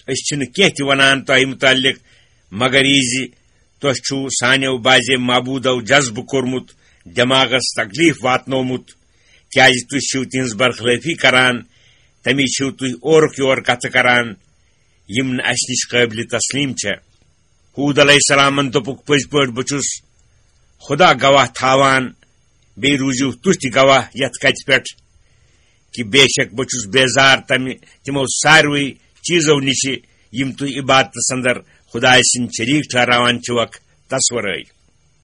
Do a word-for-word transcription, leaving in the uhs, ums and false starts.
أسۍ چھِنہٕ کینٛہہ تہِ وَنان تۄہہِ مُتعلِق، مگر یہِ زِ تۄہہِ چھُو سانیو بعضے معبوٗدو جذبہٕ کوٚرمُت، دٮ۪ماغس تکلیف واتنومُت، کیازِ تُہۍ چھِو تِہنٛز برخلٲفی کران، تَمی چھِو تُہۍ اورُک یور کتھٕ کران، یِم نہٕ اَسہِ نِش قٲبلِ تسلیٖم چھےٚ۔ ہوٗد علیہ السلامن دوٚپُکھ، پٔزۍ پٲٹھۍ بہٕ چھُس خدا گواہ تھاوان، بیٚیہِ روٗزِو تُہۍ تہِ گواہ یتھ کتھِ پٮ۪ٹھ کہِ بے شک بہٕ چھُس بیزار تمہِ، تِمو ساروٕے چیٖزو نِشہِ یِم تُہۍ عبادتس اندر خدایہِ سٕنٛدۍ شریٖک ٹھہراوان چھِوکھ، تس ورٲے۔